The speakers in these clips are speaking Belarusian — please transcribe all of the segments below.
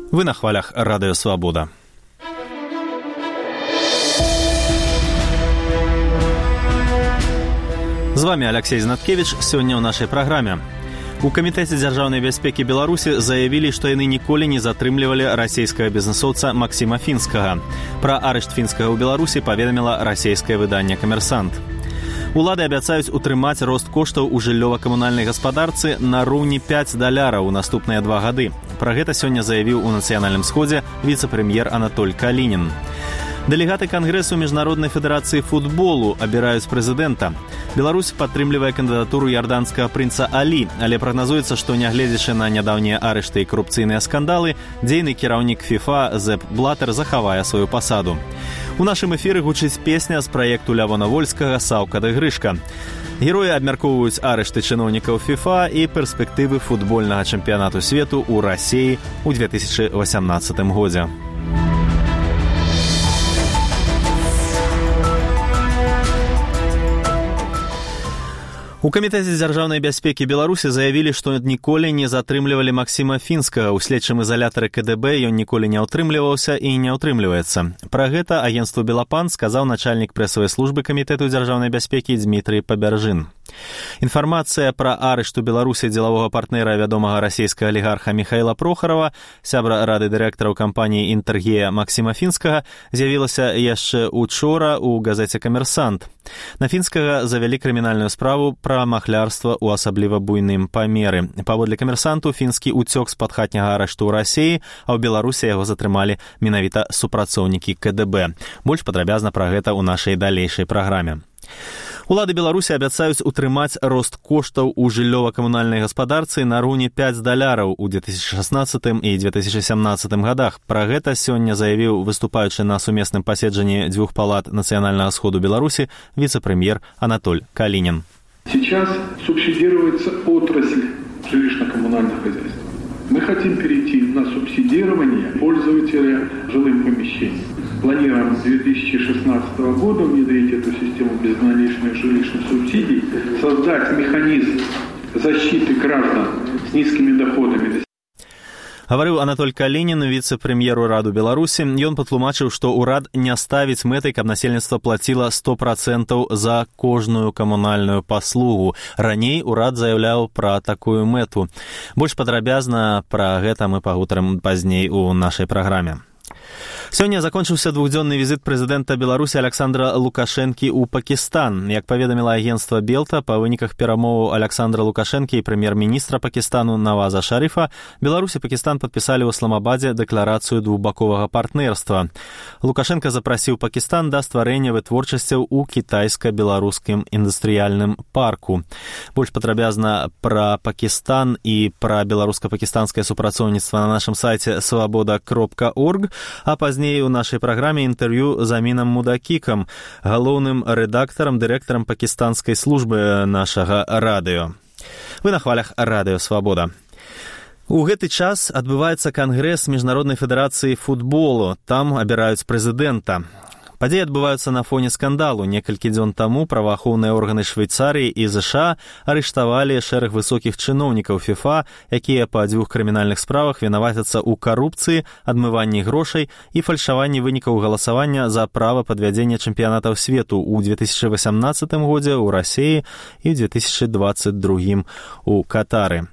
Вы на хвалях Радыё Свабода. З вами Алексей Знаткевич. Сёння ў нашай праграме. У Камітэце дзяржаўнай бяспекі Беларусі заявілі, што яны ніколі не затрымлівалі расійскага бізнэсоўца Максіма Фінскага. Пра арышт Фінскага ў Беларусі паведаміла расійскае выданне «Камерсант». Улады абяцаюць утрымаць рост коштаў у жыллёва-камунальнай гаспадарцы на роўні $5 ў наступныя 2 гады. Пра гэта сёння заявіў у Нацыянальным сходзе віцэ-прэм'ер Анатоль Калінін. Дэлегаты Кангрэсу Міжнароднай федэрацыі футболу абіраюць прэзідэнта. Беларусь падтрымлівае кандыдатуру ярданскага прынца Алі, але прагназуецца, што нягледзячы на нядаўнія арышты і карупцыйныя скандалы, дзейны кіраўнік ФІФА Зеп Блатер захавае сваю пасаду. У нашым эфіры гучыць песня з праекту Лявона Вольскага «Саўка ды Грышка». Героі абмяркоўваюць арышты чыноўнікаў ФІФА і перспектывы футбольнага чэмпіянату свету ў Расіі ў 2018 годзе. У Камітэце дзяржаўнай бяспекі Беларусі заявілі, што ніколі не затрымлівалі Максіма Фінскага. У следчым изолятары КДБ ён ніколі не ўтрымліваўся і не ўтрымліваецца. Пра гэта агенцтву «Белапан» сказаў начальнік прэсавай службы Камітэту дзяржаўнай бяспекі Дмітрый Пабяржын. Інфармацыя пра арышт у Беларусі дзелавога партнера вядомага расійскага алігарха Михаила Прохарова, сябра рады дырэктараў кампаніі «Інтэргея» Максіма Фінскага, з'явілася яшчэ учора ў газеце «Камерсант». На Фінскага завялі крымінальную справу пра махлярства ў асабліва буйным памеры. Паводле «Камерсанту» Фінскі уцёк з-пад хатняга арышту ў Расіі, а ў Беларусі яго затрымалі менавіта супрацоўнікі КДБ. Больш падрабязна пра гэта ў нашай далейшай праграме. Улады Беларусі абяцаюць утрымаць рост коштаў у жыллёва-камунальнай гаспадарцы на роўні $5 у 2016 і 2017 годах. Пра гэта сёння заявіў выступаючы на сумесным паседжанні дзвюх палат Нацыянальнага сходу Беларусі віцэ-прэм'ер Анатоль Калінін. Сейчас субсидируется отрасль жилищно-коммунальных хозяйств. Мы хотим перейти на субсидирование пользователя жилым помещением. Планируем с 2016 года внедрить эту систему безналичных жилищных субсидий, создать механизм защиты граждан с низкими доходами. Гаварыў Анатоль Калінін, віцэ-прэм'еру Раду Беларусі. Ён патлумачыў, што ўрад не ставіць мэтай, каб насельніцтва плаціла 100% за кожную камунальную паслугу. Раней урад заяўляў пра такую мэту. Больш падрабязна пра гэта мы пагутарым пазней у нашай праграме. Сёння закончыўся двухдзённы візіт прэзідэнта Беларусі Александра Лукашэнкі ў Пакістан. Як паведаміла агенцтва Белта, па выніках перамоваў Александра Лукашэнкі і прэм'ер-міністра Пакістану Наваза Шарыфа, Беларусь і Пакістан падпісалі ў Исламабаде дэкларацыю двухбаковага партнерства. Лукашэнка запрасіў Пакістан да стварэння вытворчасцяў у кітайска-беларускім індустрыяльным парку. Больш падрабязна пра Пакістан і пра беларуска-пакістанскае супрацоўніцтва на нашым сайце свабода.орг, а пазней у нашай праграме інтэрв'ю з Амінам Мудакікам, галоўным рэдактарам, дырэктарам пакістанскай службы нашага радыё. Вы на хвалях Радыё Свабода. У гэты час адбываецца Кангрэс Міжнароднай федэрацыі футболу. Там абіраюць прэзідэнта. Падзеі адбываюцца на фоне скандалу. Некалькі дзён таму праваахоўныя органы Швейцарыі і ЗША арыштавалі шэраг высокіх чыноўнікаў ФІФА, якія па 2 крымінальных справах вінавацяцца ў карупцыі, адмыванні грошай і фальшаванні вынікаў галасавання за права падвядзення чэмпіянатаў свету ў 2018 годзе ў Расіі і ў 2022 у Катары.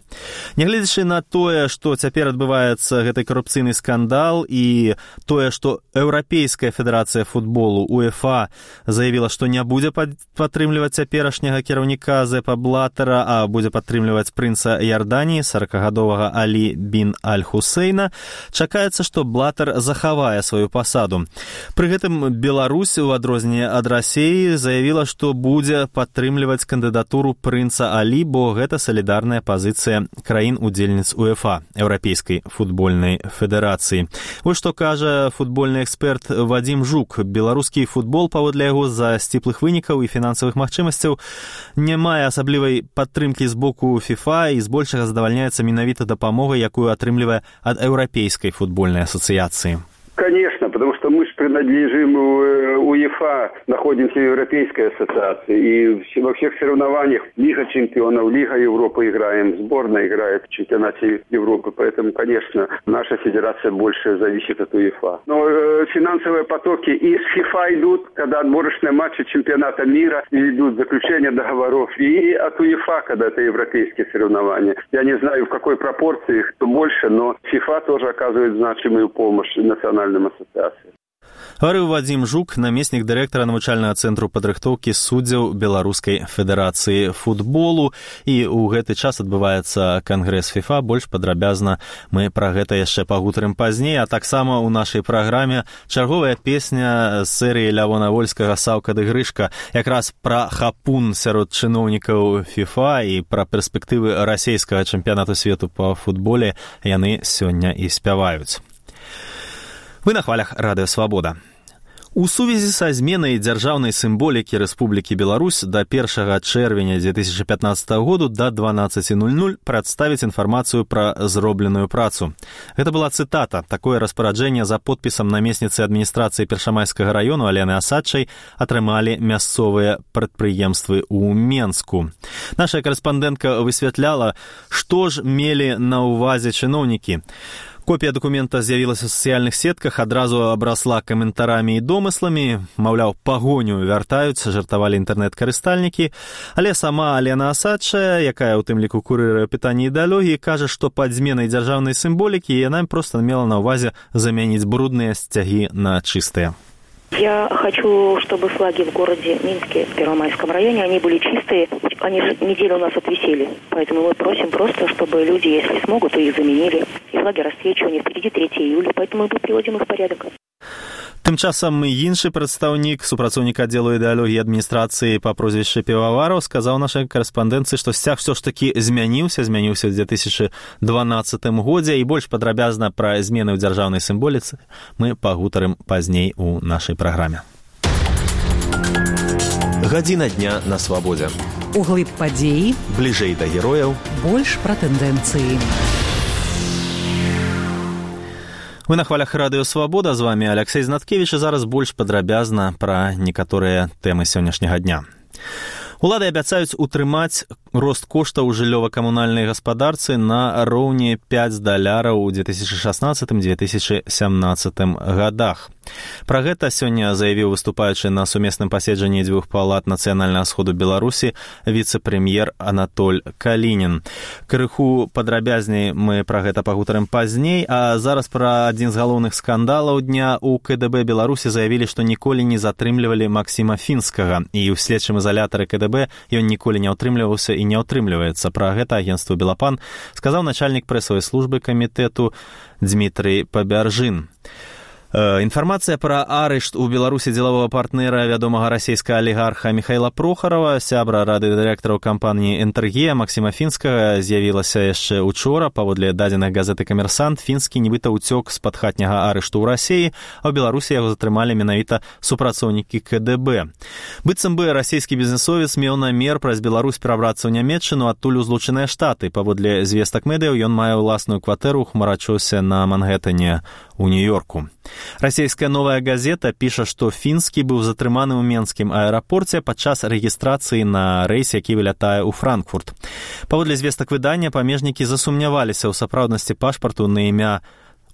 Нягледзячы на тое, што цяпер адбываецца гэты карупцыйны скандал і тое, што Еўрапейская федэрацыя футболу УЕФА заявіла, што не будзе падтрымліваць цяперашняга кіраўніка Зепа Блатера, а будзе падтрымліваць прынца Ярданіі 40-гадовага Алі бін Аль-Хусейна, чакаецца, што Блатер захавае сваю пасаду. Пры гэтым Беларусь, у адрозненне ад Расіі, заявіла, што будзе падтрымліваць кандыдатуру прынца Алі, бо гэта салідарная пазіцыя краін-удзельніц УЕФА, Еўрапейскай футбольнай федэрацыі. Вось што кажа футбольны эксперт Вадзім Жук. Беларускі футбол, паводле яго, з-за сціплых вынікаў і фінансавых магчымасцяў не мае асаблівай падтрымкі з боку ФІФА і збольшага задавальняецца менавіта дапамогай, якую атрымлівае ад Еўрапейскай футбольнай асацыяцыі. Конечно, потому что мы же принадлежим УЕФА, находимся в Европейской ассоциации. И во всех соревнованиях Лига чемпионов, Лига Европы играем, сборная играет в чемпионате Европы. Поэтому, конечно, наша федерация больше зависит от УЕФА. Но финансовые потоки из ФИФА идут, когда отборочные матчи чемпионата мира идут, заключение договоров. И от УЕФА, когда это европейские соревнования. Я не знаю, в какой пропорции их больше, но ФИФА тоже оказывает значимую помощь национальным ассоциациям. Гаварыў Вадзім Жук, намеснік дырэктара навучальнага цэнтру падрыхтоўкі суддзяў Беларускай федэрацыі футболу. І ў гэты час адбываецца кангрэс ФІФА. Больш падрабязна мы пра гэта яшчэ пагутарым пазней. А таксама ў нашай праграме чарговая песня з серыі Лявона Вольскага «Саўка ды Грышка», якраз пра хапун сярод чыноўнікаў ФІФА і пра перспектывы расійскага чэмпіянату свету па футболе яны сёння і спяваюць. Вы на хвалях Радыё Свабода. У сувязі са зменай дзяржаўнай сімволікі Рэспублікі Беларусь да 1 чэрвеня 2015 году да 12:00 прадставіць інфармацыю пра зробленую працу. Гэта была цытата. Такое распараджэнне за подпісам намесніцы адміністрацыі Першамайскага раёну Алены Асадчай атрымалі мясцовыя прадпрыемствы ў Менску. Наша карэспандэнтка высвятляла, што ж мелі на ўвазе чыноўнікі. Копія дакумента з'явілася ў сацыяльных сетках, адразу абрасла каментарамі і домысламі, маўляў, пагоню вяртаюць, жартавалі інтэрнэт-карыстальнікі, але сама Алена Асадчая, якая ў тым ліку курыруе пытанні ідэалогіі, кажа, што пад зменай дзяржаўнай сімволікі яна проста мела на ўвазе замяніць брудныя сцягі на чыстыя. Я хочу, чтобы флаги в городе Минске, в Первомайском районе, они были чистые. Они же неделю у нас отвисели. Поэтому мы просим просто, чтобы люди, если смогут, то их заменили. И флаги расцвечивания. Впереди 3 июля, поэтому мы приводим их в порядок. Тым часам іншы прадстаўнік, супрацоўнік аддзелу ідэалогіі адміністрацыі па прозвішчы Півавараў, сказаў нашай карэспандэнцыі, што сцяг ўсё ж такі змяніўся ў 2012 годзе, і больш падрабязна пра змены ў дзяржаўнай сімволіцы мы пагутарым пазней у нашай праграме. Гадзіна дня на свабодзе. Углыб падзеі, бліжэй да герояў, больш пра тэндэнцыі. Вы на хвалях Радыё Свабода, з вами Алексей Знаткевич, і зараз больш падрабязна пра некаторыя тэмы сённяшняга дня. Улады абяцаюць утрымаць рост коштаў у жыллёва-камунальнай гаспадарцы на роўні $5 у 2016-2017 годах. Пра гэта сёння заявіў выступаючы на сумесным паседжанні дзвюх палат Нацыянальнага сходу Беларусі віцэ-прэм'ер Анатоль Калінін. Крыху падрабязней мы пра гэта пагутарым пазней, а зараз пра адзін з галоўных скандалаў дня. У КДБ Беларусі заявілі, што ніколі не затрымлівалі Максіма Фінскага, і ў следчым изалятары КДБ ён ніколі не ўтрымліваўся і не ўтрымліваецца. Пра гэта агенцтву Белапан сказаў начальнік прэсавай службы камітэту Дмітрый Пабяржын. Інфармацыя пра арышт у Беларусі дзелавога партнера вядомага расійскага алігарха Михайла Прохарова, сябра рады дырэктараў кампаніі «Энтэргія» Максіма Фінскага, з'явілася яшчэ учора. Паводле дадзеных газеты «Камерсант», Фінскі нібыта ўцёк з-пад хатняга арышту ў Расіі, а ў Беларусі яго затрымалі менавіта супрацоўнікі КДБ. Быццам бы расійскі бізнесовец меў намер праз Беларусь перабрацца ў Нямецчыну, адтуль у Злучаныя Штаты. Паводле звестак медыяў, ён мае ўласную кватэру ў хмарачосе на Манхэттане у Нью-Йорку. Расійская «Новая газета» піша, што Фінскі быў затрыманы ў Менскім аэрапорце падчас рэгістрацыі на рэйс, які вылятае ў Франкфурт. Паводле звестак выдання, памежнікі засумняваліся ў сапраўднасці пашпарту на імя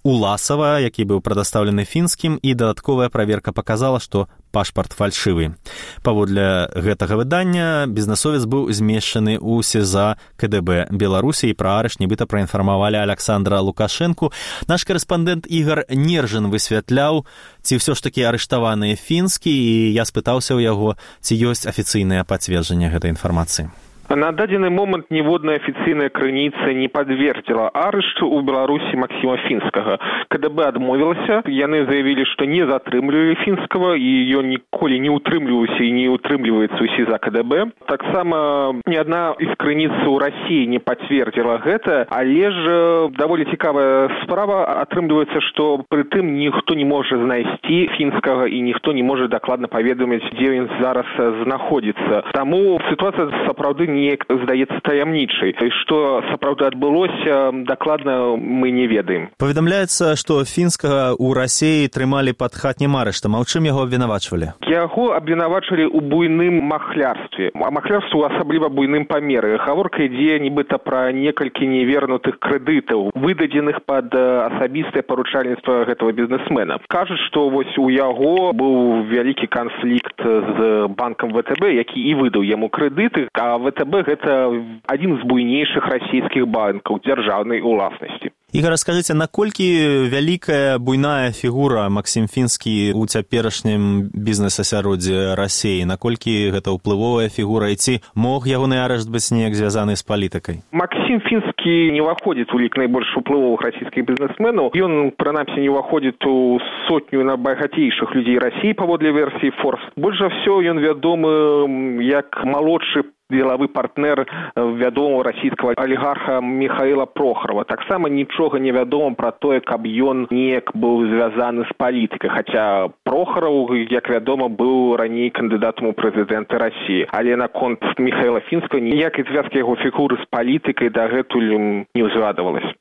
Уласава, які быў прадастаўлены Фінскім, і дадатковая праверка паказала, што пашпарт фальшывы. Паводле гэтага выдання бізнесовец быў змешчаны ў СІЗА КДБ Беларусі, і пра арышт нібыта праінфармавалі Александра Лукашэнку. Наш карэспандэнт Ігар Нержын высвятляў, ці ўсё ж такі арыштаваныя Фінскі, і я спытаўся ў яго, ці ёсць афіцыйнае пацверджанне гэтай інфармацыі. На дадзены момант ніводная афіцыйная крыніца не падвердзіла арышту ў Беларусі Максіма Фінскага. КДБ адмовілася, яны заявілі, што не затрымлівалі Фінскага, і ён ніколі не ўтрымліваўся і не ўтрымліваецца ў СІЗА КДБ. Таксама ні адна з крыніц у Расіі не пацвердзіла гэта, але ж даволі цікавая справа. Атрымліваецца, што пры тым ніхто не можа знайсці Фінскага і ніхто не можа дакладна паведаміць, дзе ён зараз знаходзіцца. Таму сітуацыя сапраўды неяк здаецца таямнічай. Што сапраўды адбылося, дакладна мы не ведаем. Паведамляецца, што фінскага ў Расіі трымалі пад хатнім арыштам. А ў чым яго абвінавачвалі? Яго абвінавачвалі ў буйным махлярстве. А махлярству асабліва буйным памеры. Гаворка ідзе нібыта пра некалькі невернутых крэдытаў, выдадзеных пад асабістае паручальніцтва гэтага бізнесмена. Кажуць, што вось у яго быў вялікі канфлікт з банкам ВТБ, які і выдаў яму крэдыты, а ВТБ гэта адзін з буйнейшых расійскіх банкаў дзяржаўнай уласнасці. Ігор, скажыце, наколькі вялікая буйная фігура Максім Фінскі ў цяперашнім бізнес-асяроддзі Расіі? Наколькі гэта ўплывовая фігура? І ці мог ягоны арышт быць неяк звязаны з палітыкай? Максім Фінскі не ўваходзіць у лік найбольш уплывовых расійскіх бізнесменаў. Ён, прынамсі, не ўваходзіць у сотню найбагацейшых людзей Расіі паводле версіі Forbes. Больш за ўсё ён вядомы як малодшы дзелавы партнер вядомого расійскага алігарха Михаіла Прохарова. Таксама нічога не вядома пра тое, каб ён неяк быў звязаны з палітыкай, хаця Прохаров, як вядома, быў раней кандыдатам у прэзідэнты Расіі. Але наконт Михаіла Фінскага ніякай звязкі яго фігуры з палітыкай дагэтуль не ўзгадвалася.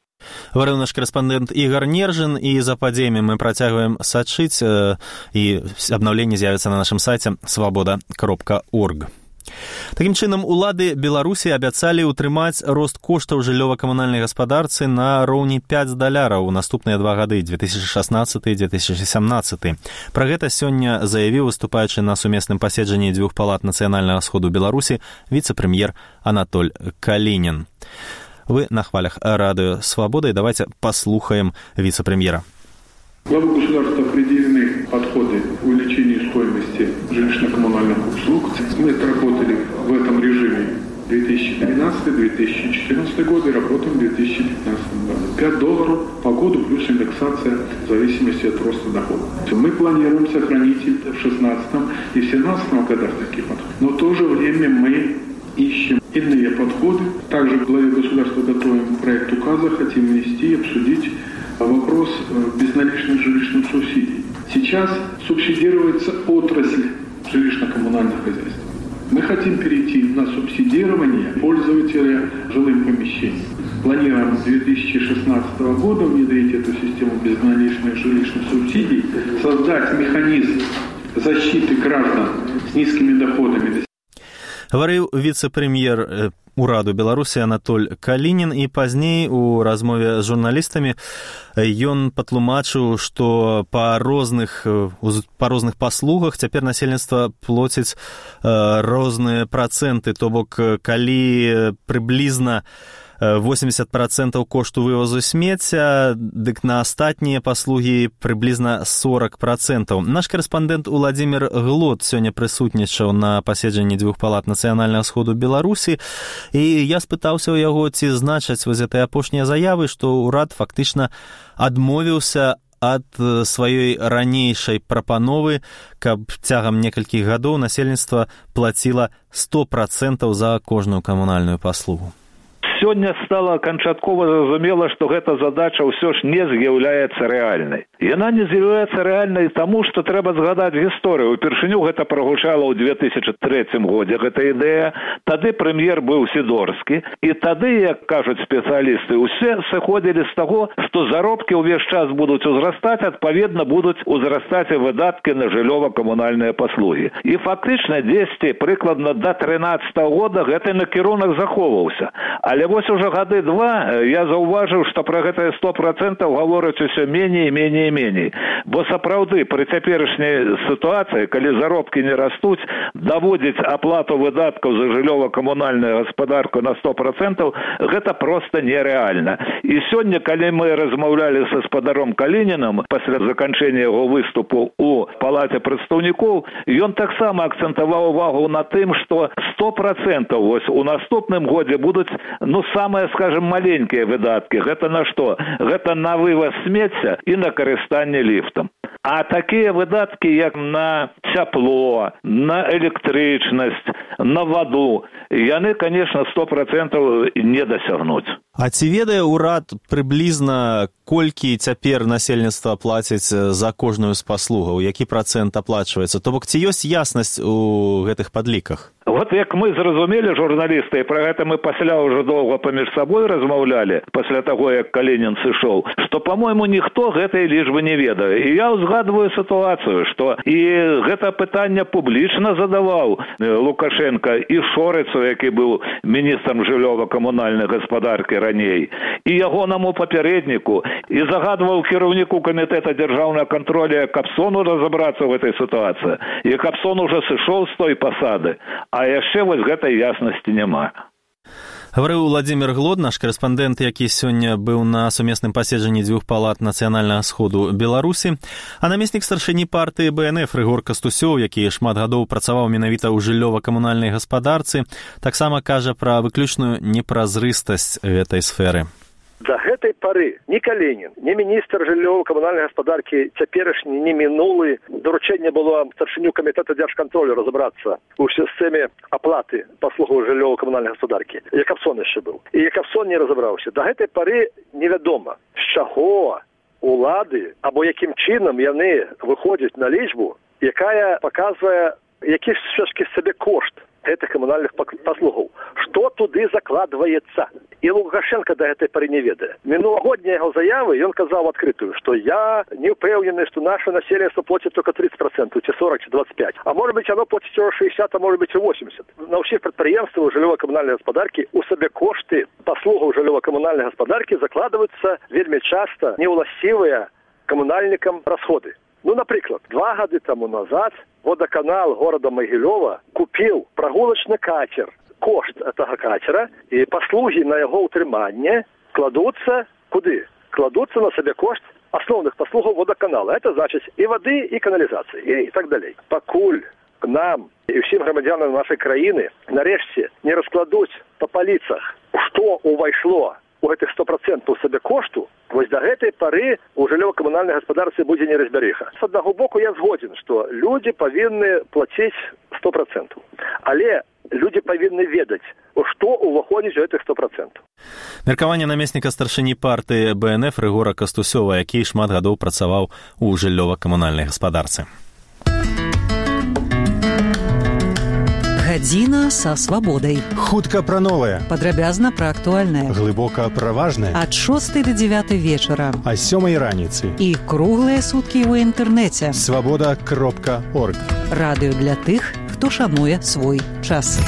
Говорил наш корреспондент Игорь Нержин, и за падзеямі мы працягваем сачыць, і абнаўленне з'явіцца на нашым сайце svoboda.org. Такім чынам, улады Беларусі абяцалі ўтрымаць рост коштаў жыллёва-камунальнай гаспадарцы на роўні $5 у наступныя 2 гады, 2016 і 2017. Пра гэта сёння заявіў, выступаючы на сумесным паседжанні дзвюх палат нацыянальнага сходу Беларусі, віцэ-прэм'ер Анатоль Калінін. Вы на хвалях радио «Свобода», и давайте послухаем вице-премьера. Главы государства определены подходы к увеличению стоимости жилищно-коммунальных услуг. Мы отработали в этом режиме 2013-2014 годы, работаем в 2015 году. $5 по году плюс индексация в зависимости от роста дохода. Мы планируем сохранить это в 2016 и 2017 годах такие подходы. Но в то же время мы ищем иные подходы. Также в главе государства готовим проект указа, хотим внести и обсудить вопрос безналичных жилищных субсидий. Сейчас субсидируется отрасль жилищно-коммунальных хозяйств. Мы хотим перейти на субсидирование пользователя жилым помещением. Планируем с 2016 года внедрить эту систему безналичных жилищных субсидий, создать механизм защиты граждан с низкими доходами. Говорил вице-премьер ураду Беларусі Анатоль Калінін, і пазней у размове з журналістамі ён патлумачыў, што па розных паслугах цяпер насельніцтва плоціць розныя працэнты, то бок калі прыблізна 80% кошту вывозу смецця, дык на астатнія паслугі прыблізна 40%. Наш карэспандэнт Уладзімір Глот сёння прысутнічаў на паседжанні дзвюх палат нацыянальнага сходу Беларусі, і я спытаўся ў яго, ці значаць вось гэтыя апошнія заявы, што ўрад фактычна адмовіўся ад сваёй ранейшай прапановы, каб цягам некалькіх гадоў насельніцтва плаціла 100% за кожную камунальную паслугу. Сёння стала канчаткова зразумела, што гэта задача ўсё ж не з'яўляецца рэальнай. Яна не з'яўляецца рэальнай таму, што трэба згадаць гісторыю. Упершыню гэта прагучала ў 2003 годзе, гэта ідэя. Тады прэм'ер быў Сідорскі, і тады, як кажуць спецыялісты, усе сыходзілі з таго, што заробкі ўвесь час будуць узрастаць, адпаведна будуць узрастаць і выдаткі на жыллёва-камунальныя паслугі. І фактычна дзесьці прыкладна да 2013 года гэты накірунак захоўваўся. Але вось уже гады 2 я заўважыў, што пра гэтае 100% гавораць усё меней, меней, меней. Бо сапраўды пры цяперашняй сітуацыі, калі заробкі не растуць, даводзіць аплату выдаткаў за жыллёва-камунальную гаспадарку на 100% гэта проста нерэальна. І сёння, калі мы размаўлялі са спадаром Калінінам пасля заканчэння яго выступу ў палаце прадстаўнікоў, ён таксама акцэнтаваў увагу на тым, што 100% вось у наступным годзе будуць самыя, скажем, маленькія выдаткі. Гэта на што? Гэта на вываз смецця і на карыстанне ліфтам. А такія выдаткі, як на цяпло, на электрычнасць, на ваду, яны, конечно, 100% не дасягнуць. А ці ведае ўрад прыблізна, колькі цяпер насельніцтва плаціць за кожную з паслугаў, які працэнт аплачваецца? То бок, ці ёсць яснасць у гэтых падліках? Вот як мы зразумелі, журналісты, і пра гэта мы пасля ўжо доўга паміж сабой размаўлялі, пасля таго, як Калінін сышоў, што, па-мойму, ніхто гэтай лічбы не ведае. І я ўзгадваю сітуацыю, што і гэта пытанне публічна задаваў Лукашенко і Шорыцу, які быў міністрам жыллёва-камунальнай гаспадаркі раней, і ягонаму папярэдніку, і загадваў кіраўніку камітэта дзяржаўнага кантролю Капсону разабрацца ў гэтай сітуацыі. І Капсон ужо сышоў з той пасады. А яшчэ вось гэтай яснасці няма. Гаварыў Владзімір Глод, наш корэспандэнт, які сёння быў на сумесным паседжанні дзвюх палат нацыянальнага сходу Беларусі, а намеснік старшыні партыі БНФ Рыгор Кастусёў, які шмат гадоў працаваў менавіта ў жыллёва-камунальнай гаспадарцы, таксама кажа пра выключную непразрыстасць гэтай сферы. До гэтай пары ні Калінін, ні міністр жыллёва-камунальнай гаспадаркі цяперашні, ні мінулы доручэнне было старшыню камітэта дзяржкантролю разабрацца ў сістэме аплаты паслугаў жыллёва-камунальнай гаспадаркі. Якабсон яшчэ быў. І Якабсон не разабраўся. До гэтай пары невядома, з чаго улады або якім чынам яны выходзяць на лічбу, якая паказвае, які ж сабе кошт гэтых камунальных паслугаў. Што туды закладваецца? І Лукашенко да гэтай пары не ведае. Мінулагоднія яго заявы, ён казаў адкрытую, што я не ўпэўнены, што наше насельніцтва плоціць только 30%, ці 40, ці 25. А может быть, оно плоціць 60, а может быть, і 80. На ўсіх прадпрыемствах жыллёва-камунальнай гаспадаркі у сабе кошты паслугаў жыллёва-камунальнай гаспадаркі закладваюцца вельмі часта неўласцівыя камунальнікам расходы. Ну, напрыклад, 2 гады таму назад водоканал города Магілёва купіў прагулачны катер. Кошт гэтага катера і паслугі на яго ўтрыманне кладуцца куды? Кладуцца на сабе кошт асноўных паслугаў водоканала. Это значыць і вады, і каналізацыі, і так далей. Пакуль нам і ўсім грамадзянам нашай краіны нарэшце не раскладуць па паліцах, што ўвайшло у гэтых 100% сабе кошту, вось да гэтай пары у жыллёва-камунальнай гаспадарцы будзе неразбярыха. З аднаго боку я згодзін, што людзі павінны плаціць 100%. Але людзі павінны ведаць, што ўваходзіць у гэтых 100%. Меркаванне намесніка старшыні партыі БНФ Рыгора Кастусёва, які шмат гадоў працаваў у жыллёва-камунальнай гаспадарцы. Гадзіна са свабодай. Хутка пра новае. Падрабязна пра актуальнае. Глыбока пра важнае. Ад 6 до 9 вечара. А 7 раніцы. І круглыя суткі ў інтэрнэце. Свабода.орг. Радыё для тых, хто шануе свой час.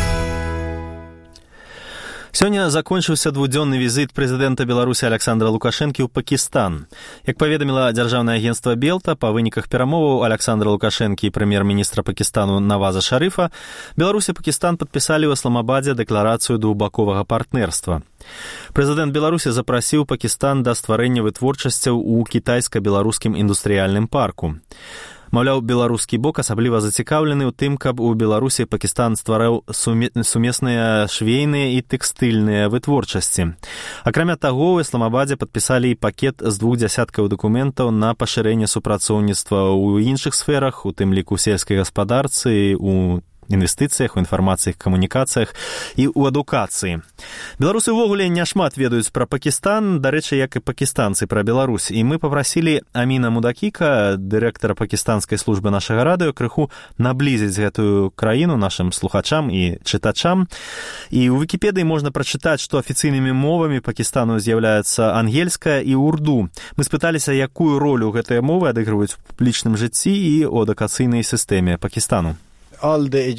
Сёння закончыўся двудзённы візіт прэзідэнта Беларусі Александра Лукашэнкі ў Пакістан. Як паведаміла дзяржаўнае агенцтва Белта, па выніках перамоваў Александра Лукашэнкі і прэм'ер-міністра Пакістану Наваза Шарыфа, Беларусь і Пакістан падпісалі ў Ісламабадзе дэкларацыю двухбаковага партнерства. Прэзідэнт Беларусі запрасіў Пакістан да стварэння вытворчасцяў у кітайска-беларускім індустрыяльным парку. Маўляў, беларускі бок асабліва зацікаўлены ў тым, каб у Беларусі Пакістан ствараў сумесныя швейныя і тэкстыльныя вытворчасці. Акрамя таго, ў Ісламабадзе падпісалі і пакет з 2 дзясяткаў дакументаў на пашырэнне супрацоўніцтва ў іншых сферах, у тым ліку сельскай гаспадарцы, у інвестыцыях, у інфармацыях, камунікацыях і ў адукацыі. Беларусы ўвогуле няшмат ведаюць пра Пакістан, дарэчы, як і пакістанцы пра Беларусь. І мы папрасілі Аміна Мудакіка, дырэктара пакістанскай службы нашага радыё, крыху наблізіць гэтую краіну нашым слухачам і чытачам. І ў Вікіпедыі можна прачытаць, што афіцыйнымі мовамі Пакістану з'яўляецца ангельская і урду. Мы спыталіся, якую ролю гэтыя мовы адыгрываюць у публічным жыцці і ў адукацыйнай сістэме Пакістану. Увесь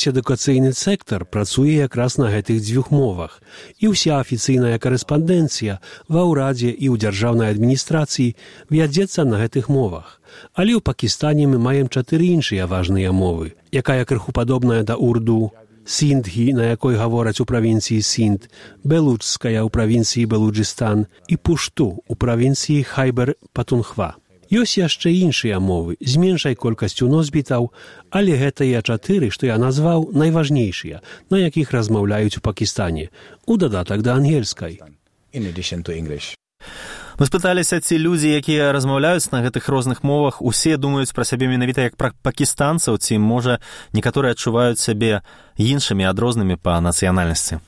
адукацыйны сектар працуе якраз на гэтых 2 мовах, і ўся афіцыйная карэспандэнцыя ва ўрадзе і ў дзяржаўнай адміністрацыі вядзецца на гэтых мовах. Але ў Пакістане мы маем 4 іншыя важныя мовы, якая крыху падобная да урду, синдхі, на якой гавораць у правінцыі Синд, белуджская ў правінцыі Белуджыстан і пушту ў правінцыі Хайбер-Патунхва. Ёсць яшчэ іншыя мовы з меншай колькасцю носьбітаў, але гэтыя 4, што я назваў, найважнейшыя, на якіх размаўляюць у Пакістане, у дадатак да ангельскай. Мы спыталіся, ці людзі, якія размаўляюць на гэтых розных мовах, усе думаюць пра сябе менавіта як пра пакістанцаў, ці, можа, некаторыя адчуваюць сябе іншымі, адрознымі па нацыянальнасці.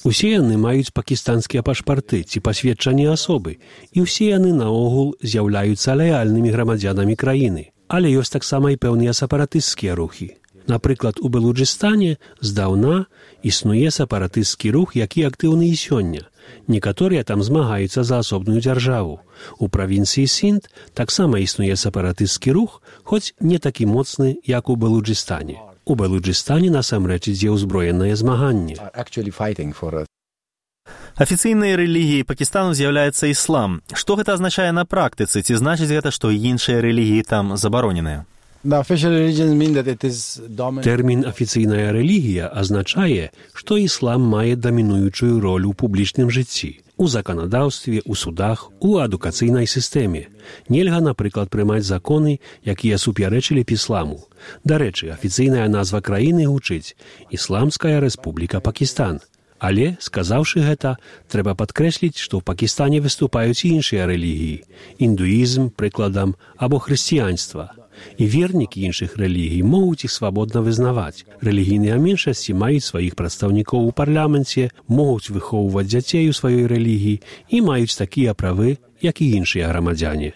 Усе яны маюць пакістанскія пашпарты ці пасведчанні асобы, і ўсе яны наогул з'яўляюцца лаяльнымі грамадзянамі краіны. Але ёсць таксама і пэўныя сепаратысцкія рухі. Напрыклад, у Балуджыстане здаўна існуе сепаратысцкі рух, які актыўны і сёння. Некаторыя там змагаюцца за асобную дзяржаву. У правінцыі Сінд таксама існуе сепаратысцкі рух, хоць не такі моцны, як у Балуджыстане. У Балуджыстане насамрэч ідзе ўзброенае змаганне. Афіцыйнай рэлігіяй Пакістану з'яўляецца іслам. Што гэта азначае на практыцы? Ці значыць гэта, што іншыя рэлігіі там забароненыя? Тэрмін «афіцыйная рэлігія» азначае, што іслам мае дамінуючую ролю ў публічным жыцці, у заканадаўстве, у судах, у адукацыйнай сістэме. Нельга, напрыклад, прымаць законы, якія супярэчылі б ісламу. Дарэчы, афіцыйная назва краіны гучыць «Ісламская рэспубліка Пакістан». Але, сказаўшы гэта, трэба падкрэсліць, што ў Пакістане выступаюць і іншыя рэлігіі – індуізм, прыкладам, або хрысціянства. І вернікі іншых рэлігій могуць іх свабодна вызнаваць. Рэлігійныя меншасці маюць сваіх прадстаўнікоў у парламенце, могуць выхоўваць дзяцей у сваёй рэлігіі і маюць такія правы, як і іншыя грамадзяне.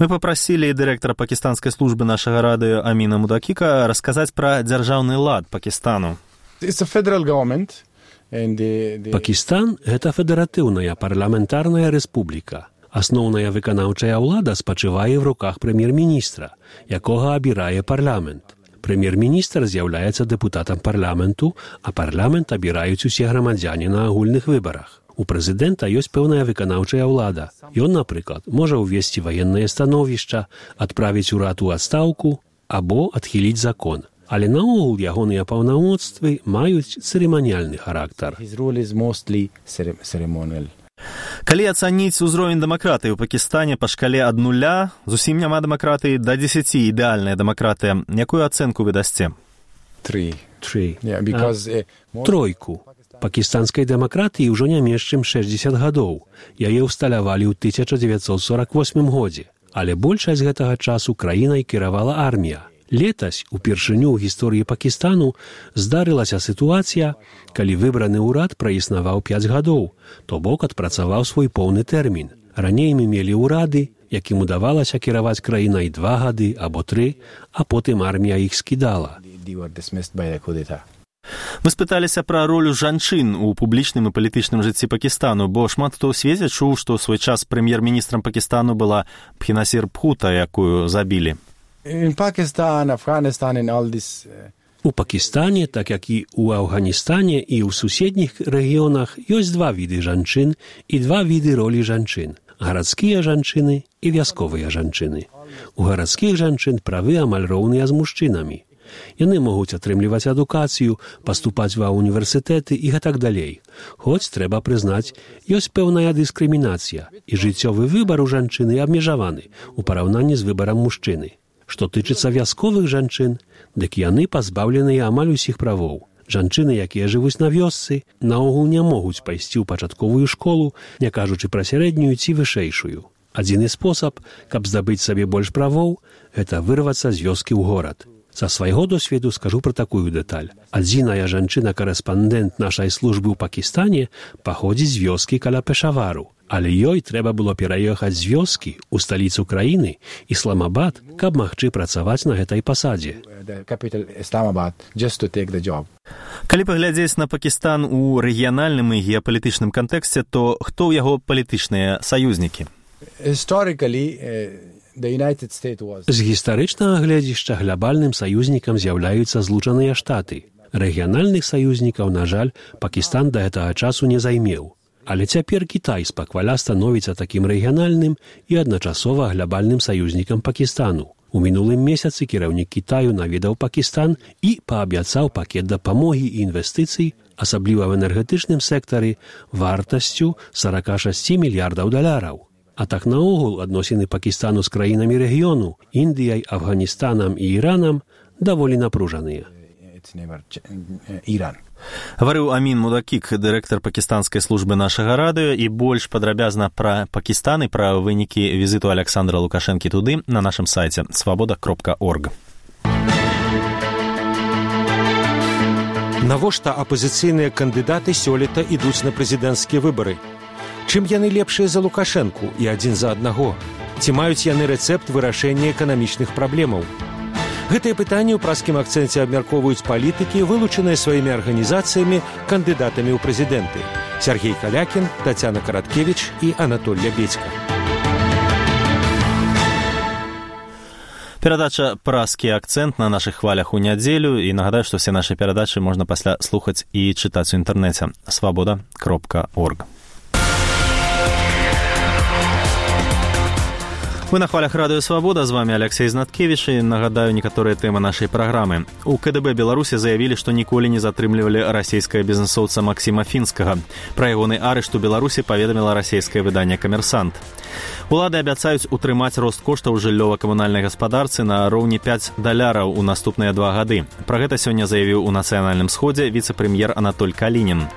Мы папрасілі дырэктара пакістанскай службы нашага радыё Аміна Мудакіка расказаць пра дзяржаўны лад Пакістану. Пакістан – гэта федэратыўная парламентарная рэспубліка. Асноўная выканаўчая ўлада спачывае ў руках прэм'ер-міністра, якога абірае парламент. Прэм'ер-міністр з'яўляецца дэпутатам парламенту, а парламент абіраюць усе грамадзяне на агульных выбарах. У прэзідэнта ёсць пэўная выканаўчая ўлада. Ён, напрыклад, можа ўвесці ваеннае становішча, адправіць урад у адстаўку або адхіліць закон. Але наогул ягоныя паўнамоцтвы маюць цырыманіяльны характар. Калі ацаніць узровень дэмакратыі ў Пакістане па шкале ад 0, зусім няма дэмакратыі, да 10 ідэальная дэмакратыя, якую ацэнку вы дасце? 3. Тройку. Пакістанскай дэмакратыі ўжо не менш чым 60 гадоў. Яе ўсталявалі ў 1948 годзе. Але большасць гэтага часу краінай кіравала армія. Летась, упершыню ў гісторыі Пакістану, здарылася сітуацыя, калі выбраны ўрад праіснаваў 5 гадоў, то бок адпрацаваў свой поўны тэрмін. Раней мы мелі ўрады, якім удавалася кіраваць краінай 2 гады або 3, а потым армія іх скідала. Вы спыталіся пра ролю жанчын у публічным і палітычным жыцці Пакістану, бо шмат хто ў свеце чуў, што ў свой час прэм'ер-міністрам Пакістану была Бхенасір Бхута, якую забілі. У Пакістане, так як і ў Афганістане і ў суседніх рэгіёнах, ёсць 2 віды жанчын і 2 віды ролі жанчын – гарадскія жанчыны і вясковыя жанчыны. У гарадскіх жанчын правы амаль роўныя з мужчынамі. Яны могуць атрымліваць адукацыю, паступаць ва універсітэты і гэтак далей. Хоць, трэба прызнаць, ёсць пэўная дыскрымінацыя, і жыццёвы выбар у жанчыны абмежаваны у параўнанні з выбарам мужчыны. Што тычыцца вясковых жанчын, дык яны пазбаўленыя амаль усіх правоў. Жанчыны, якія жывуць на вёсцы, наогул не могуць пайсці ў пачатковую школу, не кажучы пра сярэднюю ці вышэйшую. Адзіны спосаб, каб здабыць сабе больш правоў, гэта вырвацца з вёскі ў горад. Са свайго досведу скажу пра такую дэталь. Адзіная жанчына-карэспандэнт нашай службы ў Пакістане паходзіць з вёскі каля Пешавару. Але ёй трэба было пераехаць з вёскі ў сталіцу краіны, Ісламабад, каб магчы працаваць на гэтай пасадзе. Калі паглядзець на Пакістан у рэгіянальным і геапалітычным кантэксце, то хто ў яго палітычныя саюзнікі? З гістарычнага гледзішча глябальным саюзнікам з'яўляюцца Злучаныя Штаты. Рэгіянальных саюзнікаў, на жаль, Пакістан да гэтага часу не займеў. Але цяпер Кітай спакваля становіцца такім рэгіянальным і адначасова глябальным саюзнікам Пакістану. У мінулым месяцы кіраўнік Кітаю наведаў Пакістан і паабяцаў пакет дапамогі і інвестыцый, асабліва в энергетычным сектары, вартасцю $46 мільярдаў. А так наогул адносіны Пакістану з краінамі рэгіёну, Індыяй, Афганістанам і Іранам, даволі напружаныя. Гаварыў Амін Мудакік, дырэктар пакістанскай службы нашага радыё, і больш падрабязна пра Пакістан і пра вынікі візіту Александра Лукашэнкі туды на нашым сайце swaboda.org. Навошта апазіцыйныя кандыдаты сёлета ідуць на прэзідэнцкія выбары? Чым яны лепшыя за Лукашэнку і адзін за аднаго? Ці маюць яны рэцэпт вырашэння эканамічных праблемаў? Гэтыя пытанні ў праскім акцэнце абмяркоўваюць палітыкі, вылучаныя сваімі арганізацыямі кандыдатамі ў прэзідэнты. Сергей Калякін, Тацяна Караткевіч і Анатоль Лябедзька. Перадача «Праскі акцэнт» на нашых хвалях у нядзелю. І нагадаю, што все нашы перадачы можна пасля слухаць і чытаць у інтэрнэце. Свабода.орг. Вы на хвалях радыё «Свабода», з вами Алексей Знаткевич, і нагадаю некаторыя тэмы нашай праграмы. У КДБ Беларусі заявілі, што ніколі не затрымлівалі расійскага бізнесоўца Максіма Фінскага. Пра ягоны арышт у Беларусі паведаміла расійскае выданне «Камерсант». Улады абяцаюць утрымаць рост коштаў жыллёва-камунальнай гаспадарцы на роўні $5 у наступныя 2 гады. Пра гэта сёння заявіў у Нацыянальным сходзе віцэ-прэм'ер Анатоль Калінін.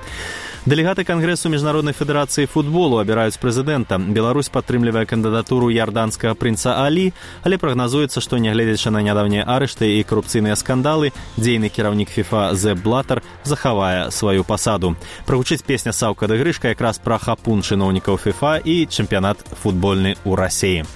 Дэлегаты Кангрэсу Міжнароднай федэрацыі футболу абіраюць прэзідэнта. Беларусь падтрымлівае кандыдатуру ярданскага прынца Алі, але прагназуецца, што нягледзячы на нядаўнія арышты і карупцыйныя скандалы, дзейны кіраўнік ФІФА Зеп Блатар захавае сваю пасаду. Прагучыць песня Саўка ды Грышка якраз пра хапун чыноўнікаў ФІФА і чэмпіянат футбольны ў Расіі.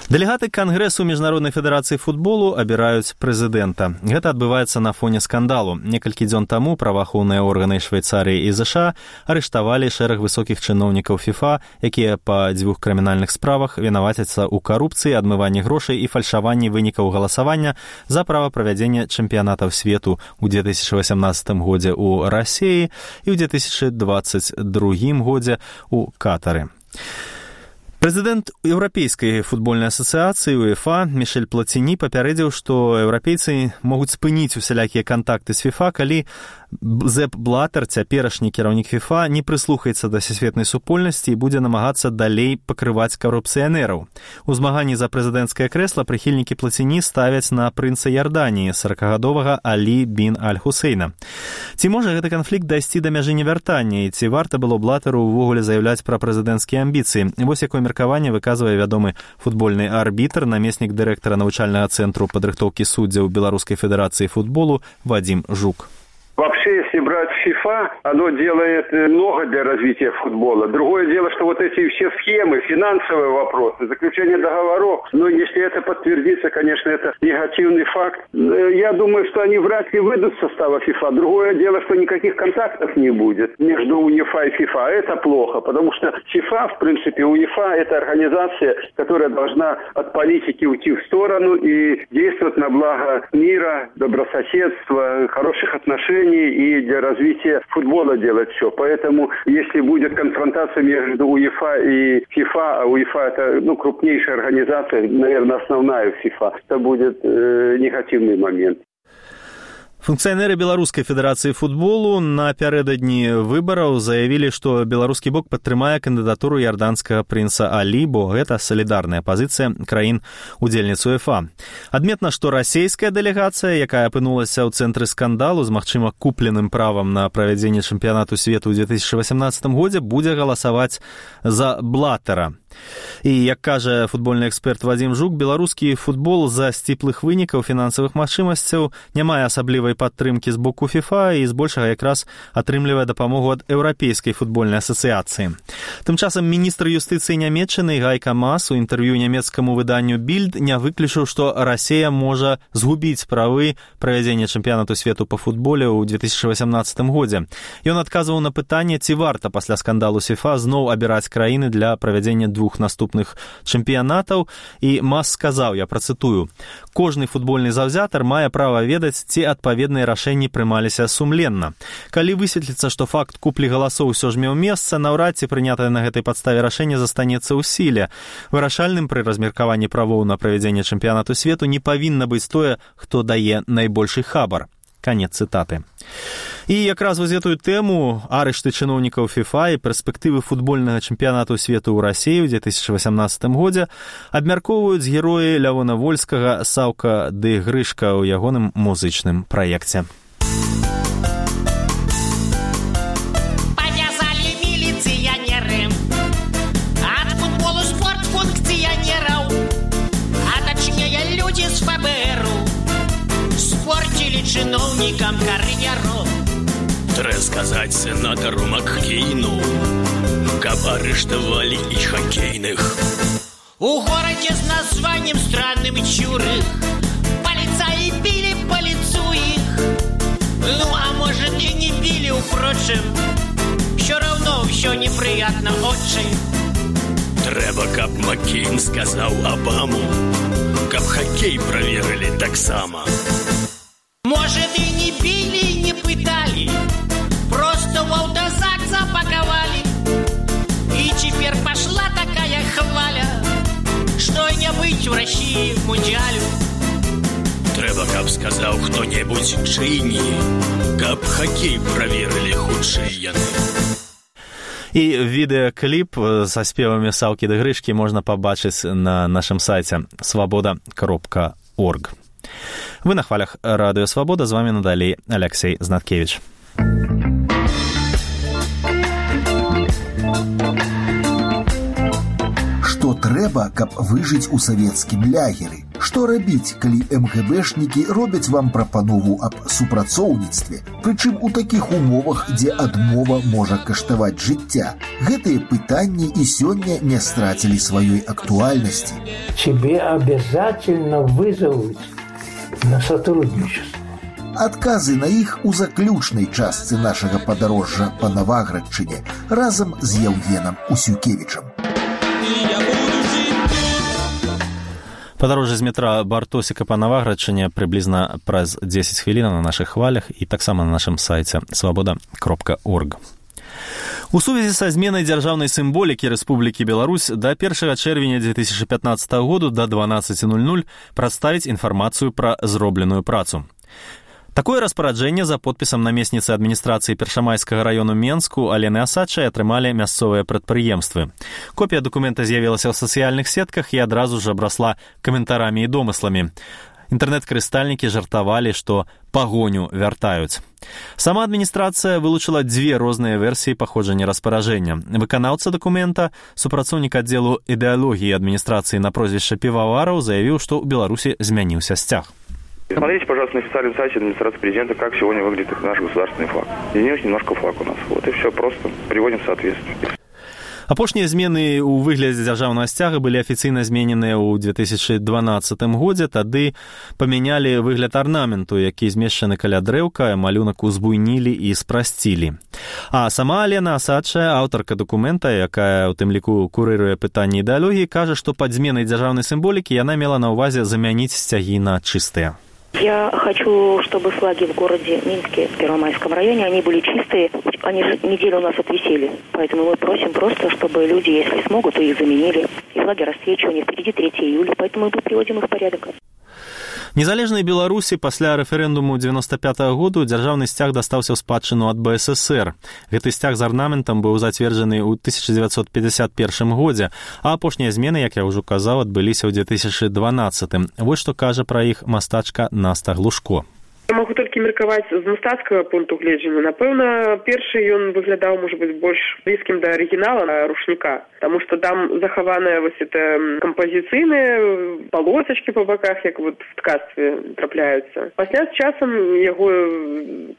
Дэлегаты Кангрэсу Міжнароднай федэрацыі футболу абіраюць прэзідэнта. Гэта адбываецца на фоне скандалу. Некалькі дзён таму праваахоўныя органы Швейцарыі і ЗША арыштавалі шэраг высокіх чыноўнікаў ФІФА, якія па 2 крымінальных справах вінавацяцца ў карупцыі, адмыванні грошай і фальшаванні вынікаў галасавання за права правядзення чэмпіянатаў свету ў 2018 годзе ў Расіі і ў 2022 годзе ў Катары. Прэзідэнт Еўрапейскай футбольнай асацыяцыі УЕФА Мішэль Плаціні папярэдзіў, што еўрапейцы могуць спыніць усялякія кантакты з ФІФА, калі Зеп Блатар, цяперашні кіраўнік ФІФА, не прыслухаецца да сусветнай супольнасці і будзе намагацца далей пакрываць карупцыянераў. У змаганні за прэзідэнцкае крэсла прыхільнікі Плаціні ставяць на прынца Ярданіі, 40-гадовага Алі бін Аль-Хусейна. Ці можа гэты канфлікт дайсці да мяжы невяртання, і ці варта было Блатару ўвогуле заяўляць пра прэзідэнцкія амбіцыі? Вось якое меркаванне выказвае вядомы футбольны арбітр, намеснік дырэктара навучальнага цэнтру падрыхтоўкі суддзяў Беларускай федэрацыі футболу Вадим Жук. Вообще, если брать ФИФА, оно делает много для развития футбола. Другое дело, что вот эти все схемы, финансовые вопросы, заключение договоров, но если это подтвердится, конечно, это негативный факт. Я думаю, что они вряд ли выйдут с состава ФИФА. Другое дело, что никаких контактов не будет между УЕФА и ФИФА. Это плохо, потому что ФИФА, в принципе, УЕФА – это организация, которая должна от политики уйти в сторону и действовать на благо мира, добрососедства, хороших отношений и для развития футбола делать все. Поэтому, если будет конфронтация между УЕФА и ФИФА, а УЕФА это крупнейшая организация, наверное, основная в ФИФА, это будет негативный момент. Функцыянеры Беларускай федэрацыі футболу напярэдадні выбараў заявілі, што беларускі бок падтрымае кандыдатуру ярданскага прынца Алі, бо гэта салідарная пазіцыя краін-удзельніц УЕФА. Адметна, што расійская дэлегацыя, якая апынулася ў цэнтры скандалу з магчыма купленым правам на правядзенне чэмпіянату свету ў 2018 годзе, будзе галасаваць за Блатара. І, як кажа футбольны эксперт Вадим Жук, беларускі футбол з-за сціплых вынікаў фінансавых магчымасцяў не мае асаблівай падтрымкі з боку ФІФА і збольшага якраз атрымлівае дапамогу ад Еўрапейскай футбольнай асацыяцыі. Тым часам міністр юстыцыі Нямецчыны Гайка Мас у інтэрв'ю нямецкаму выданню Більд не выключыў, што Расія можа згубіць правы правядзення чэмпіянату свету па футболе ў 2018 годзе. Ён адказваў на пытанне, ці варта пасля скандалу з ФІФА зноў абіраць краіны для правядзення 2 наступных чэмпіянатаў, і Мас сказаў, я працытую: «Кожны футбольны заўзятар мае права ведаць, ці адпаведныя рашэнні прымаліся сумленна. Калі высветліцца, што факт куплі галасоў усё ж меў месца, наўрад ці прынятае на гэтай падставе рашэнне застанецца ў сіле. Вырашальным пры размеркаванні правоў на правядзенне чэмпіянату свету не павінна быць тое, хто дае найбольшы хабар». Канец цытаты. І якраз вось гэтую тэму арышты чыноўнікаў ФІФА і перспектывы футбольнага чэмпіянату свету ў Расіі ў 2018 годзе абмяркоўваюць героі Лявона Вольскага «Саўка ды Грышка» ў ягоным музычным праекце. Павязалі міліцыянеры ад футболу спорт функцыянераў, а точнее чиновникам кар'еру. Трэба сказаць сенатару Маккейну, каб арыштавалі і хакейных. У городе с названием странным Чурых полицаи били по лицу их. Ну, а может и не били, впрочем, все равно все неприятно очень. Трэба, каб Маккейн сказаў Обаму, каб хоккей проверили так само. Может и не били, и не пытали, просто в автозак запаковали. И теперь пошла такая хваля, что не быть в России в мундиалю. Трэба, каб сказаў хто-небудзь чыйні, каб хоккей проверили хутчэй яны. І відэакліп са спевамі Саўкі ды Грышкі можна пабачыць на нашым сайце свабода.орг. Вы на хвалях радыё Свабода, з вами надалей Алексей Знаткевич. Што трэба, каб выжыць у савецкім лягеры? Што рабіць, калі МГБшнікі робяць вам прапанову аб супрацоўніцтве, прычым у такіх умовах, дзе адмова можа каштаваць жыцця? Гэтыя пытанні і сёння не страцілі сваёй актуальнасці. Тебе обязательно вызовут на сотрудничество. Адказы на іх у заключнай частцы нашага падарожжа па Наваградчыне разам з Яўгенам Усюкевічам. Падарожжа з метра Бартосіка па Наваградчыне прыблізна праз 10 хвілін на нашых хвалях і таксама на нашым сайце свабода.орг. У сувязі са зменай дзяржаўнай сімволікі Рэспублікі Беларусь да 1 чэрвеня 2015 году да 12:00 прадставіць інфармацыю пра зробленую працу. Такое распараджэнне за подпісам намесніцы адміністрацыі Першамайскага раёну Менску Алены Асадчай атрымалі мясцовыя прадпрыемствы. Копія дакумента з'явілася ў сацыяльных сетках і адразу ж абрасла каментарамі і домысламі. Інтэрнэт-карыстальнікі жартавалі, што пагоню вяртаюць. Сама адміністрацыя вылучыла дзве розныя версіі паходжання распараджэння. Выканаўца дакумента, супрацоўнік аддзелу ідэалогіі адміністрацыі на прозвішча Півавараў, заявіў, што ў Беларусі змяніўся сцяг. Смотрите, пожалуйста, на официальном сайте администрации президента, как сегодня выглядит наш государственный флаг. Изменился немножко флаг у нас. Вот и все, просто приводим в соответствие. Апошнія змены ў выглядзе дзяржаўнага сцяга былі афіцыйна змененыя ў 2012 годзе, тады памянялі выгляд арнаменту, які змешчаны каля дрэўка, малюнак узбуйнілі і спрасцілі. А сама Алена Асадчая, аўтарка дакумента, якая ў тым ліку курыруе пытанні ідэалогіі, кажа, што пад зменай дзяржаўнай сімволікі яна мела на ўвазе замяніць сцягі на чыстыя. Я хочу, чтобы флаги в городе Минске, в Первомайском районе, они были чистые. Они же неделю у нас отвисели. Поэтому мы просим просто, чтобы люди, если смогут, то их заменили. И флаги расцвечивания. Впереди 3 июля, поэтому мы приводим их в порядок. Незалежнай Беларусі пасля рэферэндуму 95-го году дзяржаўны сцяг дастаўся ў спадчыну ад БССР. Гэты сцяг з арнаментам быў зацверджаны ў 1951 годзе, а апошнія змены, як я ўжо казаў, адбыліся ў 2012. Вось што кажа пра іх мастачка Наста Глушко. Я могу толькі меркаваць з мастацкага пункту гледжання. Напэўна, першы ён выглядаў, можа быць, больш блізкім да арыгінала рушніка, таму што там захаваныя вось это кампазіцыйныя полосачкі па баках, як вот в ткацтве трапляюцца. Пасля з часам яго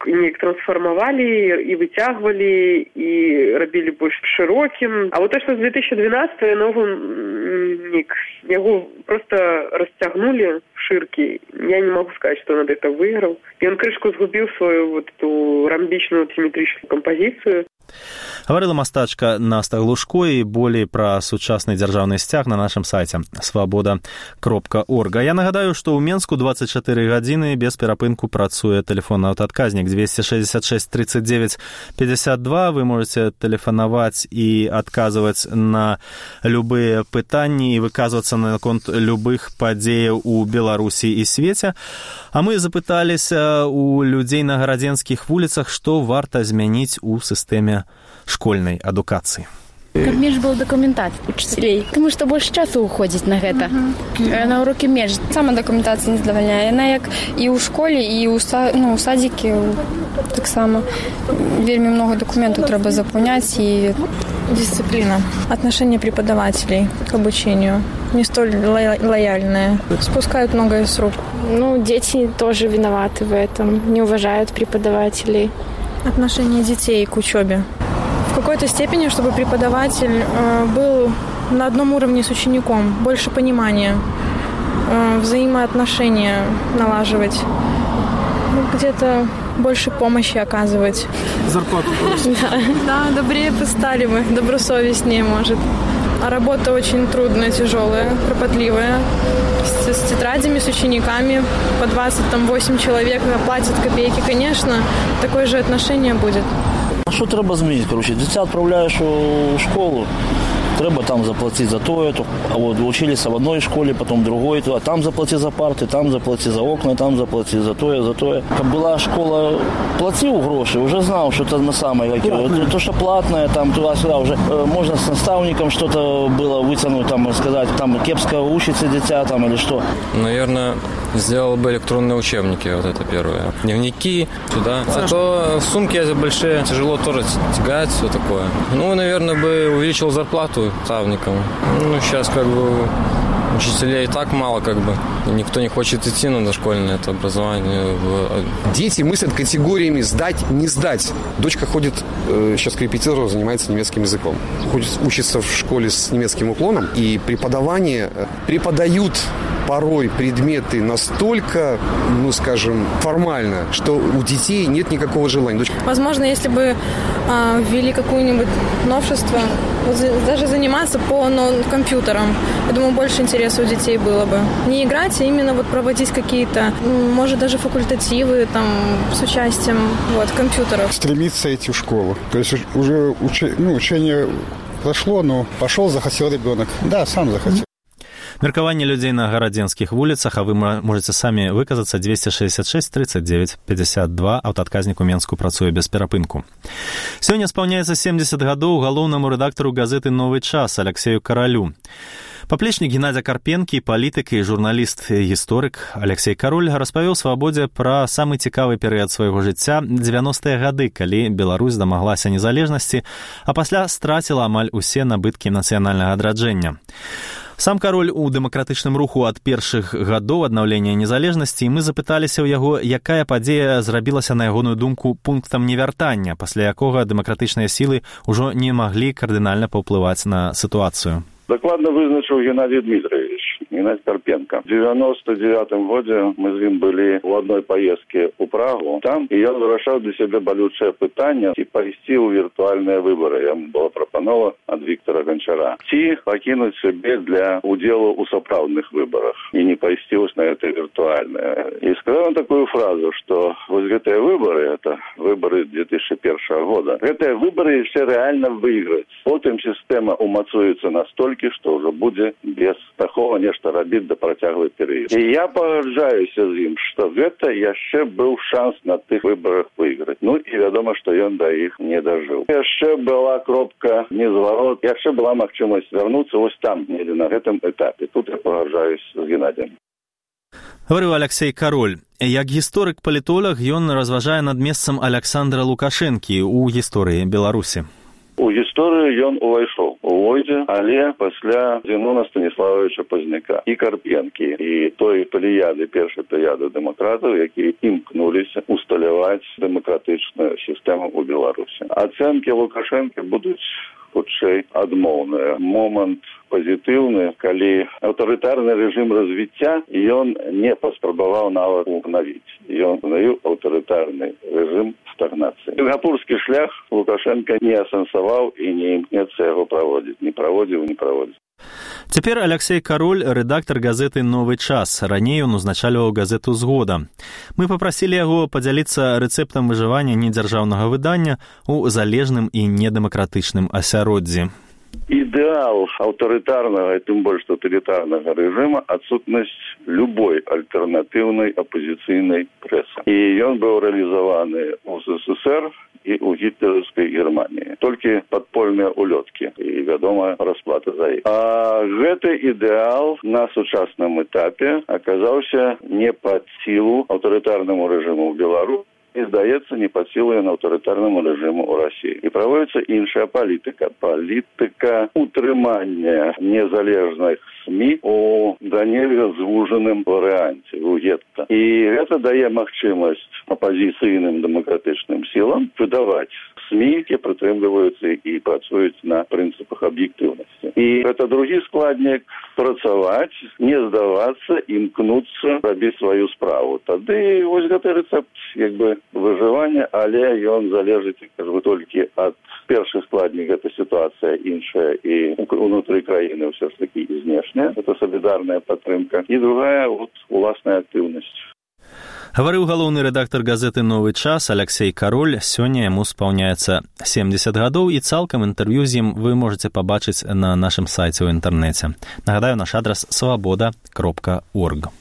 неяк трансфармавалі і выцягвалі і рабілі больш шырокім. А вот то, што з 2012 новым нік, яго просто расцягнулі шыркі. Я не могу сказаць, што над это выйграў. Ён крышку згубіў сваю вот эту рамбічную сіметрычную кампазіцыю. Гаварыла мастачка Наста Глушко, і болей пра сучасны дзяржаўны сцяг на нашым сайце свабода.орг. Я нагадаю, што ў Менску 24 гадзіны без перапынку працуе тэлефонны аўтаадказнік 266 39 52. Вы можете тэлефанаваць і адказваць на любыя пытанні і выказвацца наконт любых падзеяў у Беларусі і свеце. А мы запыталіся у людзей на гарадзенскіх вуліцах, што варта змяніць у сістэме школьной адукации. Каб менш было дакументацыі учителей, тому што больш часу уходзіць на гэта. На урокі менш. Сама дакументацыя не задавальняе. Яна як і ў школе, і ў садзікі таксама. Вельмі многа дакументаў трэба запаўняць, і Дисциплина. Отношение преподавателей к обучению не столь лояльное. Спускают многое с рук. Дети тоже виноваты в этом. Не уважают преподавателей. Отношение детей к учебе. В какой-то степени, чтобы преподаватель был на одном уровне с учеником. Больше понимания. Взаимоотношения налаживать. Где-то больше помощи оказывать. Зарплату просить. Да, добрее бы стали мы, добросовестнее, может. А работа очень трудная, тяжелая, кропотливая. С тетрадями, с учениками. По 28 человек платят копейки. Конечно, такое же отношение будет. Що треба змінити? Дитя відправляєш у школу. Треба там заплатить за то, а вот учились в одной школе, потом в другой, а там заплати за парты, там заплати за окна, там заплати за то. Как была школа, платил гроши, уже знал, что это на самое, то, что платное, там туда-сюда, уже можно с наставником что-то было вытянуть, там, сказать, там кепско учится дитя, там, или что. Наверное, сделал бы электронные учебники, вот это первое. Дневники, туда. А то сумки большие, тяжело тоже тягать, все такое. Наверное, бы увеличил зарплату наставникам. Сейчас учителей и так мало, никто не хочет идти на дошкольное это образование. Дети мыслят категориями «сдать, не сдать». Дочка ходит сейчас к репетитору, занимается немецким языком. Учится в школе с немецким уклоном, и преподают порой предметы настолько, формально, что у детей нет никакого желания. Возможно, если бы ввели какое-нибудь новшество, даже заниматься по компьютерам, я думаю, больше интереса у детей было бы. Не играть, а именно проводить какие-то, может, даже факультативы там, с участием компьютеров. Стремиться идти в школу. То есть уже учение прошло, но пошел, захотел ребенок. Да, сам захотел. Меркаванне людзей на гарадзенскіх вуліцах, а вы можете самі выказацца 266 39 52, аўтаадказнік у Менску працуе без перапынку. Сёння спаўняецца 70 гадоў галоўнаму рэдактару газеты «Новы час» Алексею Каралю. Паплечнік Геннадзя Карпенкі, палітык і журналіст-гісторык Алексей Кароль распавёў «Свабодзе» пра самы цікавы перыяд свайго жыцця 90-е гады, калі Беларусь дамаглася незалежнасці, а пасля страціла амаль усе набыткі нацыянальнага адраджэння. Сам Кароль у дэмакратычным руху ад першых гадоў аднаўлення незалежнасці, і мы запыталіся ў яго, якая падзея зрабілася, на ягоную думку, пунктам невяртання, пасля якога дэмакратычныя сілы ўжо не маглі кардынальна паўплываць на сітуацыю. Докладно вызначил Геннадий Дмитриевич, Геннадий Карпенко. В 99-м году мы с ним были в одной поездке у Прагу. Там и я вырашал для себя болючее питание и пойти у виртуальные выборы. Ему было пропановано от Виктора Гончара. Покинуть себе для удела у соправдных выборах и не пойти на это виртуальное. И сказал он такую фразу, что вот эти выборы, это выборы 2001 года, эти выборы все реально выиграть. Потом система умацуется настолько, что уже будет без такого нечто робить до протяглый период. И я погоджаюся з ним, что это еще был шанс на тих выборах выиграть. И ведомо, что он до их не дожил. Еще была кропка незворот, еще была махчимость вернуться вот там, на этом этапе. Тут я погоджаюсь с Геннадием. Говорыў Алексей Кароль. Як гісторык-палітолог, ён разважае над месцам Александра Лукашэнкі ў гісторыі Беларусі. У гісторыю ён увайшоў у Войдзе, але пасля Зенона Станіславовича Пазняка і Карпенкі, і той плеяды, першай плеяды дэмакратаў, якія імкнуліся усталяваць дэмакратычную сістэму ў Беларусі. Ацэнкі Лукашэнкі будуць хутчэй адмоўныя. Момант пазітыўны, калі аўтарытарны рэжым развіцця ён не паспрабаваў нават угнавіць. Ён угнавіў аўтарытарны рэжым стагнацыі. Сінгапурскі шлях Лукашенко не асэнсаваў і не імкнецца яго праводзіць. Не праводзіў. Цяпер Алексей Кароль, рэдактар газеты «Новы час». Раней ён узначальваў газету «Згода». Мы папрасілі яго падзяліцца рэцэптам выжывання недзяржаўнага выдання ў залежным і недэмакратычным асяроддзі. Идеал аўтарытарнага и тем больше тоталитарного режима отсутность любой альтернативной оппозиционной прессы. И он был реализован у СССР и у гитлеровской Германии. Только подпольные улетки и, вядома, расплата за их. А гэты идеал на сучасном этапе оказался не под силу аўтарытарному режиму в Беларуси і, здаецца, не пад сілаю аўтарытарнаму рэжыму ў Расіі. І праводзіцца іншая палітыка. Палітыка утрымання незалежных СМІ у да нельга звужаным варыянце, у гетта. І гэта дае магчымасць апазіцыйным дэмакратычным сілам выдаваць СМІ, якія прытрымліваюцца і працуюць на прынцыпах аб'ектыўнасці. І гэта другі складнік — працаваць, не здавацца, імкнуцца рабіць сваю справу. Тады вось гэты рэцэпт як бы выжывання, але ён залежыць, кажу, толькі ад першы складнік — гэта сітуацыя іншая і унутры краіны ўсё ж такі і знешняя, гэта салідарная падтрымка, і другая вот уласная актыўнасць. Гаварыў галоўны рэдактар газеты «Новы час» Алексей Кароль. Сёння яму спаўняецца 70 гадоў, і цалкам інтэрв'ю з ім вы можаце пабачыць на нашым сайце ў інтэрнэце. Нагадаю, наш адрас свабода.орг.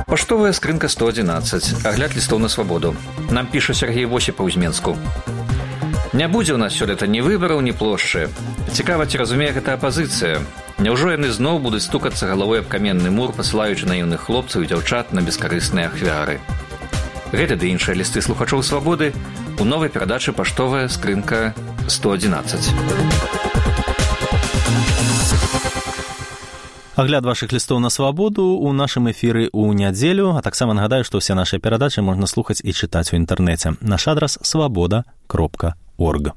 Паштовая скрынка 111. Агляд лістоў на свабоду. Нам піша Сергей Восіпаў з Менску. Не будзе ў нас сёлета ні выбараў, ні плошчы. Цікава, ці разумее гэта апазіцыя. Няўжо яны зноў будуць стукацца галавой аб каменны мур, пасылаючы наіўных хлопцаў і дзяўчат на бескарысныя ахвяры. Гэта ды іншыя лісты слухачоў свабоды у новай перадачы «Паштовая скрынка 111». Агляд вашых лістоў на свабоду ў нашым эфіры ў нядзелю, а таксама нагадаю, што ўсе нашы перадачы можна слухаць і чытаць у інтэрнэце. Наш адрас свабода.орг.